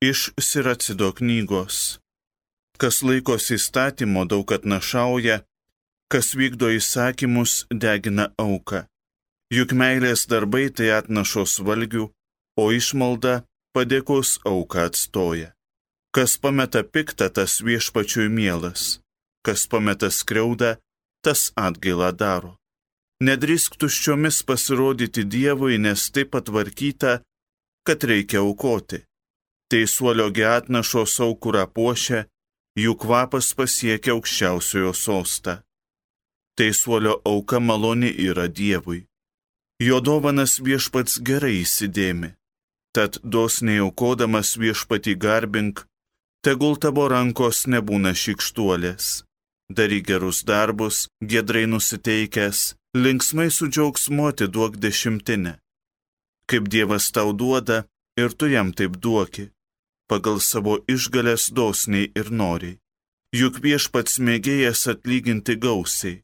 Iš Siracido knygos. Kas laikosi įstatymo, daug atnašauja, kas vykdo įsakymus, degina auką. Juk meilės darbai tai atnašos valgių, o išmalda padėkos auką atstoja. Kas pameta piktą, tas viešpačiui mielas, kas pameta skriaudą, tas atgailą daro. Nedrįsk tuščiomis pasirodyti Dievui, nes taip patvarkyta, kad reikia aukoti. Teisuolio atnašos aukurą puošia, jų kvapas pasiekia aukščiausiojo sostą. Teisuolio auka maloni yra Dievui. Jo dovanas viešpats gerai įsidėmi. Tad dosniai aukodamas viešpatį garbink, tegul tavo rankos nebūna šykštuolės. Daryk gerus darbus, giedrai nusiteikęs, linksmai su džiaugsmu atiduok dešimtinę. Kaip Dievas tau duoda, ir tu jam taip duoki, pagal savo išgalės dosniai ir noriai. Juk viešpats mėgėjas atlyginti gausiai.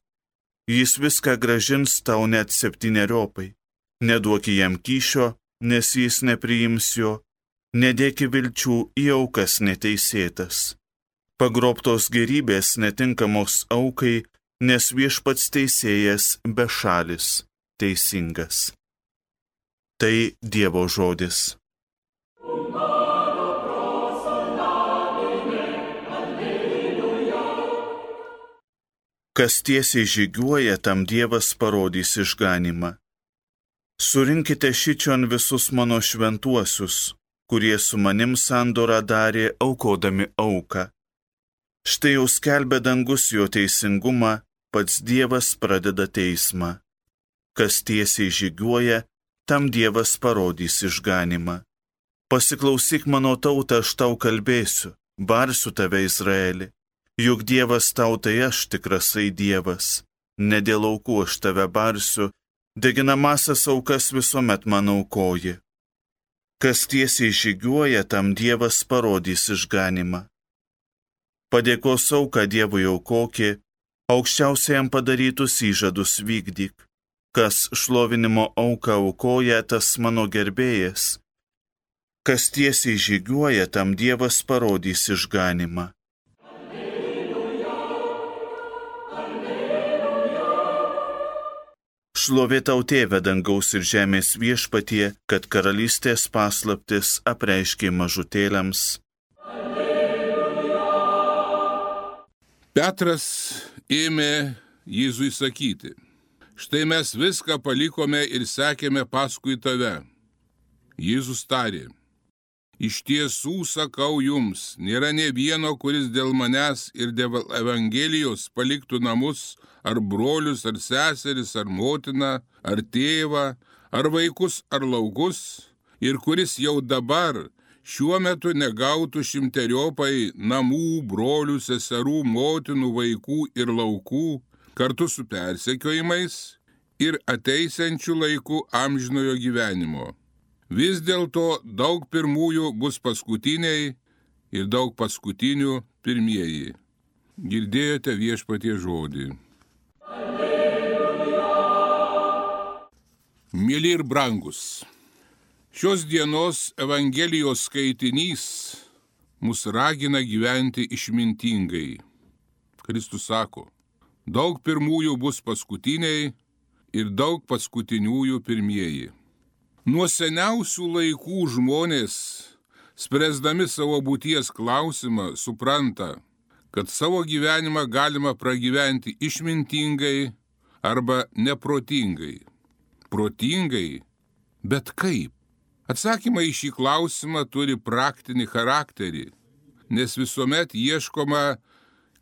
Jis viską grąžins tau net 7-eriopai. Neduoki jam kyšio, nes jis nepriims jo. Nedėki vilčių į aukas neteisėtas. Pagrobtos gerybės netinkamos aukai, nes viešpats teisėjas bešalis, teisingas. Tai Dievo žodis. Kas tiesiai žygiuoja, tam Dievas parodys išganymą. Surinkite šičion visus mano šventuosius, kurie su manim sandorą darė aukodami auką. Štai jau skelbia dangus jo teisingumą, pats Dievas pradeda teismą. Kas tiesiai žygiuoja, tam Dievas parodys išganymą. Pasiklausyk mano tautą, aš tau kalbėsiu, barsiu tave Izraeli. Juk Dievas tau tai aš tikrasai Dievas, ne dėl aukų aš tave barsiu, deginamasias aukas visuomet man aukoji. Kas tiesiai žygiuoja, tam Dievas parodys išganymą. Padėkos auką Dievui aukoki, aukščiausiajam padarytus įžadus vykdyk. Kas šlovinimo auką aukoja, tas mano gerbėjas. Kas tiesiai žygiuoja, tam Dievas parodys išganymą. Šlovė tau Tėve dangaus ir žemės viešpatie, kad karalystės paslaptis apreiškė mažutėliams. Petras ėmė Jėzui sakyti: štai mes viską palikome ir sekėme paskui tave. Jėzus tarė: iš tiesų sakau jums, nėra nė vieno, kuris dėl manęs ir dėl Evangelijos paliktų namus, ar brolius, ar seseris, ar motiną, ar tėvą, ar vaikus, ar laukus, ir kuris jau dabar, šiuo metu negautų 100-eriopai namų, brolių, seserų, motinų, vaikų ir laukų, kartu su persekiojimais ir ateisiančių laikų amžinojo gyvenimo. Vis dėlto daug pirmųjų bus paskutiniai ir daug paskutinių pirmieji. Girdėjote viešpatie žodį. Mėly ir brangus, šios dienos Evangelijos skaitinys mus ragina gyventi išmintingai. Kristus sako: daug pirmųjų bus paskutiniai ir daug paskutiniųjų pirmieji. Nuo seniausių laikų žmonės, spręsdami savo būties klausimą, supranta, kad savo gyvenimą galima pragyventi išmintingai arba neprotingai. Protingai, bet kaip? Atsakymai į šį klausimą turi praktinį charakterį, nes visuomet ieškoma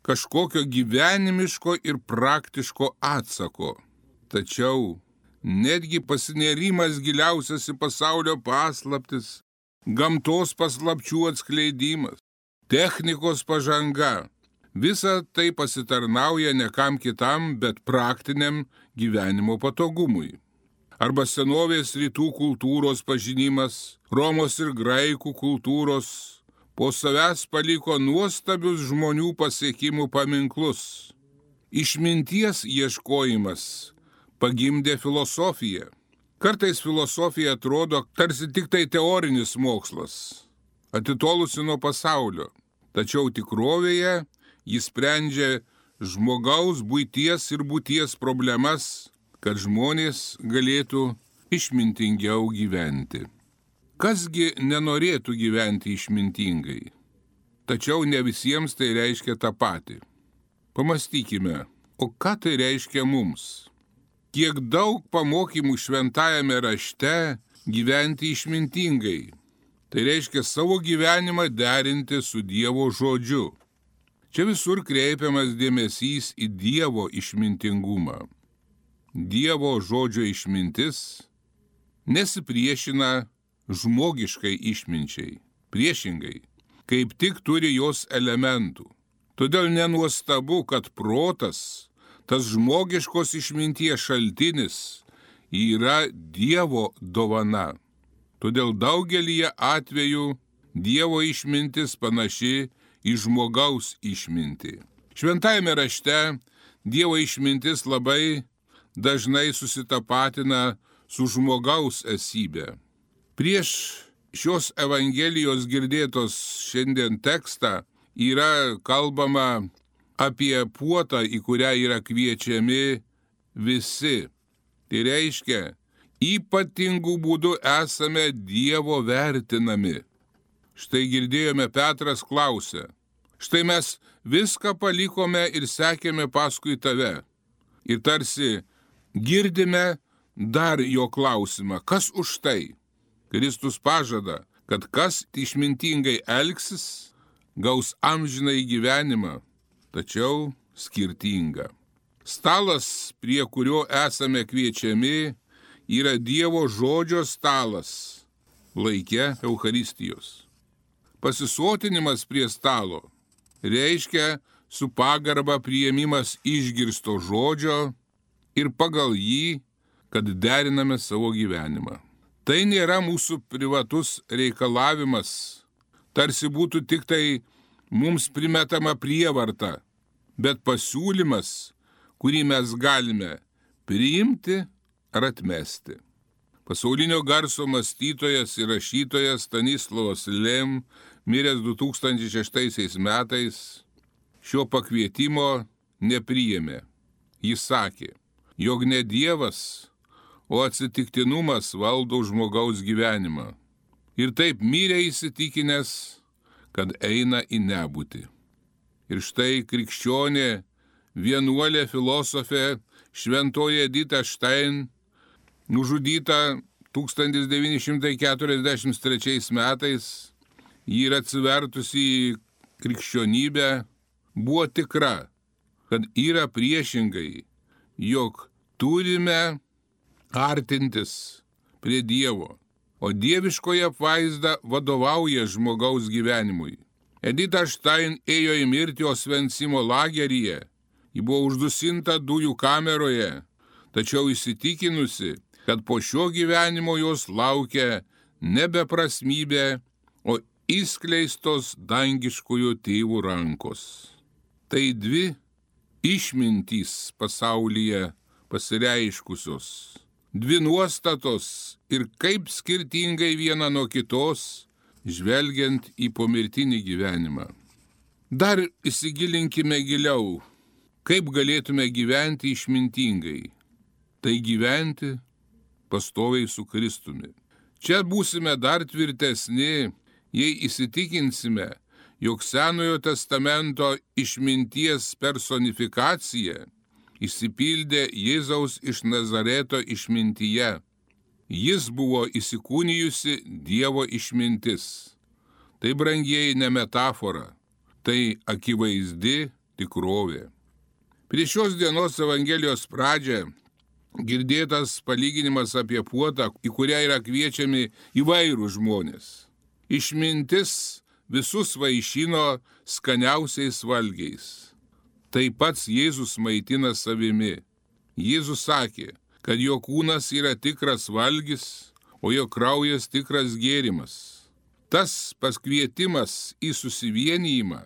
kažkokio gyvenimiško ir praktiško atsako. Tačiau netgi pasinėrimas giliausias į pasaulio paslaptis, gamtos paslapčių atskleidimas, technikos pažanga, visa tai pasitarnauja ne kam kitam, bet praktiniam gyvenimo patogumui. Arba senovės rytų kultūros pažinimas, Romos ir graikų kultūros po savęs paliko nuostabius žmonių pasiekimų paminklus. Išminties ieškojimas pagimdė filosofiją. Kartais filosofija atrodo tarsi tik tai teorinis mokslas, atitolusi nuo pasaulio, tačiau tikrovėje jis sprendžia žmogaus buities ir būties problemas, kad žmonės galėtų išmintingiau gyventi. Kasgi nenorėtų gyventi išmintingai? Tačiau ne visiems tai reiškia tą patį. Pamastykime, o ką tai reiškia mums? Kiek daug pamokymų šventajame rašte gyventi išmintingai. Tai reiškia savo gyvenimą derinti su Dievo žodžiu. Čia visur kreipiamas dėmesys į Dievo išmintingumą. Dievo žodžio išmintis nesipriešina žmogiškai išminčiai. Priešingai, kaip tik turi jos elementų. Todėl nenuostabu, kad protas, tas žmogiškos išminties šaltinis, yra Dievo dovana. Todėl daugelyje atvejų Dievo išmintis panaši į žmogaus išmintį. Šventajame rašte Dievo išmintis labai dažnai susitapatina su žmogaus esybė. Prieš šios Evangelijos girdėtos šiandien tekstą yra kalbama apie puotą, į kurią yra kviečiami visi. Tai reiškia, ypatingų būdų esame Dievo vertinami. Štai girdėjome, Petras klausė, štai mes viską palikome ir sekėme paskui tave. Ir tarsi girdime dar jo klausimą, kas už tai? Kristus pažada, kad kas išmintingai elgsis, gaus amžinai gyvenimą, tačiau skirtingą. Stalas, prie kurio esame kviečiami, yra Dievo žodžio stalas, laike Eucharistijos. Pasisotinimas prie stalo reiškia su pagarba priėmimas išgirsto žodžio ir pagal jį, kad deriname savo gyvenimą. Tai nėra mūsų privatus reikalavimas, tarsi būtų tik tai mums primetama prievarta, bet pasiūlymas, kurį mes galime priimti ar atmesti. Pasaulinio garso mąstytojas ir rašytojas Stanislavas Lem, miręs 2006 metais, šio pakvietimo nepriėmė. Jis sakė, jog ne Dievas, o atsitiktinumas valdo žmogaus gyvenimą. Ir taip mirė įsitikinęs, kad eina į nebūtį. Ir štai krikščionė, vienuolė filosofė šventoji Edita Stein, nužudyta 1943 metais, ji yra atsivertusi į krikščionybę, buvo tikra, kad yra priešingai, jog turime artintis prie Dievo, o dieviškoji apvaizda vadovauja žmogaus gyvenimui. Edita Stein ėjo į mirtį Osvencimo lageryje, ji buvo uždusinta dujų kameroje, tačiau įsitikinusi, kad po šio gyvenimo jos laukia nebeprasmybė, o įskleistos dangiškojo tėvų rankos. Tai dvi išmintys pasaulyje pasireiškusios, dvi nuostatos ir kaip skirtingai viena nuo kitos, žvelgiant į pomirtinį gyvenimą. Dar įsigilinkime giliau, kaip galėtume gyventi išmintingai. Tai gyventi pastoviai su Kristumi. Čia būsime dar tvirtesni, jei įsitikinsime, jog Senojo testamento išminties personifikacija išsipildė Jėzaus iš Nazareto išmintyje. Jis buvo įsikūnijusi Dievo išmintis. Tai, brangieji, ne metafora, tai akivaizdi tikrovė. Prieš šios dienos Evangelijos pradžią girdėtas palyginimas apie puotą, į kurią yra kviečiami įvairūs žmonės. Išmintis visus vaišino skaniausiais valgiais. Tai pats Jėzus maitina savimi. Jėzus sakė, kad jo kūnas yra tikras valgis, o jo kraujas tikras gėrimas. Tas paskvietimas į susivienijimą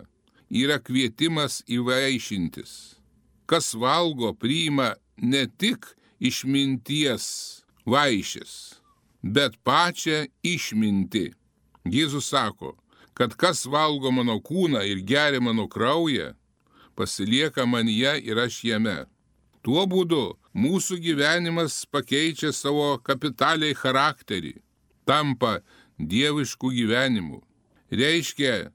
yra kvietimas įvaišintis. Kas valgo, priima ne tik išminties vaišės, bet pačią išmintį. Jėzus sako, kad kas valgo mano kūną ir geria mano kraują, pasilieka manyje ir aš jame. Tuo būdu mūsų gyvenimas pakeičia savo kapitaliai charakterį, tampa dieviškų gyvenimų, reiškia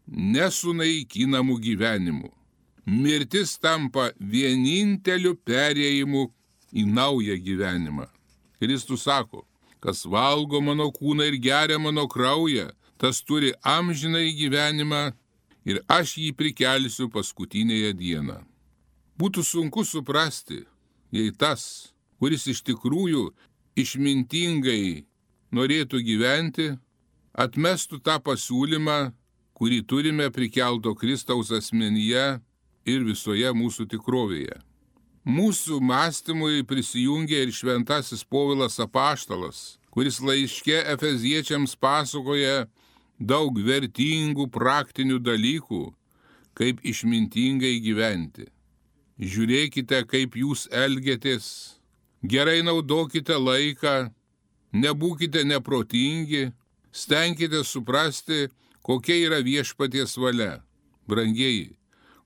nesunaikinamu gyvenimu. Mirtis tampa vieninteliu perėjimu į naują gyvenimą. Kristus sako, kas valgo mano kūną ir geria mano kraują, tas turi amžinąjį gyvenimą ir aš jį prikelsiu paskutinėje dieną. Būtų sunku suprasti, jei tas, kuris iš tikrųjų išmintingai norėtų gyventi, atmestų tą pasiūlymą, kurį turime prikelto Kristaus asmenyje ir visoje mūsų tikrovėje. Mūsų mąstymui prisijungia ir šventasis Povilas Apaštalas, kuris laiške Efeziečiams pasakoja daug vertingų praktinių dalykų, kaip išmintingai gyventi. Žiūrėkite, kaip jūs elgiatės, gerai naudokite laiką, nebūkite neprotingi, stenkite suprasti, kokia yra viešpaties valia. Brangieji,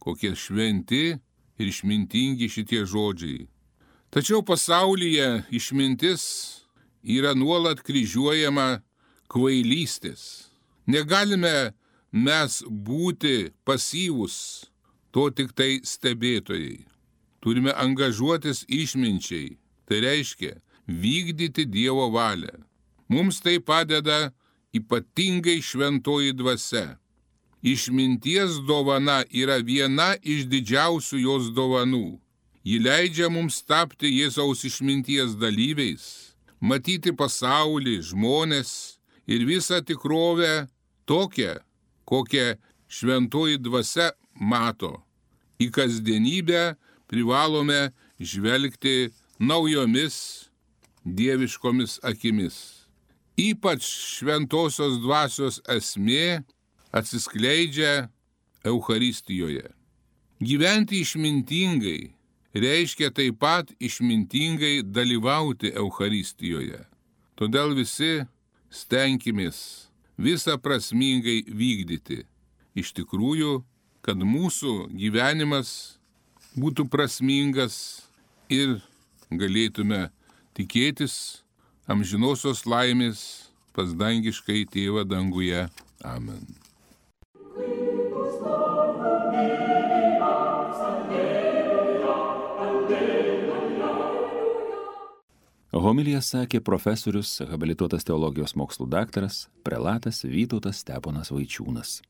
kokie šventi ir išmintingi šitie žodžiai. Tačiau pasaulyje išmintis yra nuolat kryžiuojama kvailystės. Negalime mes būti pasyvūs, to tik tai stebėtojai. Turime angažuotis išminčiai, tai reiškia vykdyti Dievo valią. Mums tai padeda ypatingai šventoji dvasia. Išminties dovana yra viena iš didžiausių jos dovanų. Ji leidžia mums tapti Jėzaus išminties dalyviais, matyti pasaulį, žmones ir visą tikrovę tokią, kokią šventoji dvasia mato. Į kasdienybę privalome žvelgti naujomis dieviškomis akimis. Ypač šventosios dvasios esmė atsiskleidžia Eucharistijoje. Gyventi išmintingai reiškia taip pat išmintingai dalyvauti Eucharistijoje. Todėl visi stenkimės visą prasmingai vykdyti. Iš tikrųjų, kad mūsų gyvenimas būtų prasmingas ir galėtume tikėtis amžinosios laimės pas dangiškąjį Tėvą danguje. Amen. Homiliją sakė profesorius, habilituotas teologijos mokslų daktaras, prelatas Vytautas Steponas Vaičiūnas.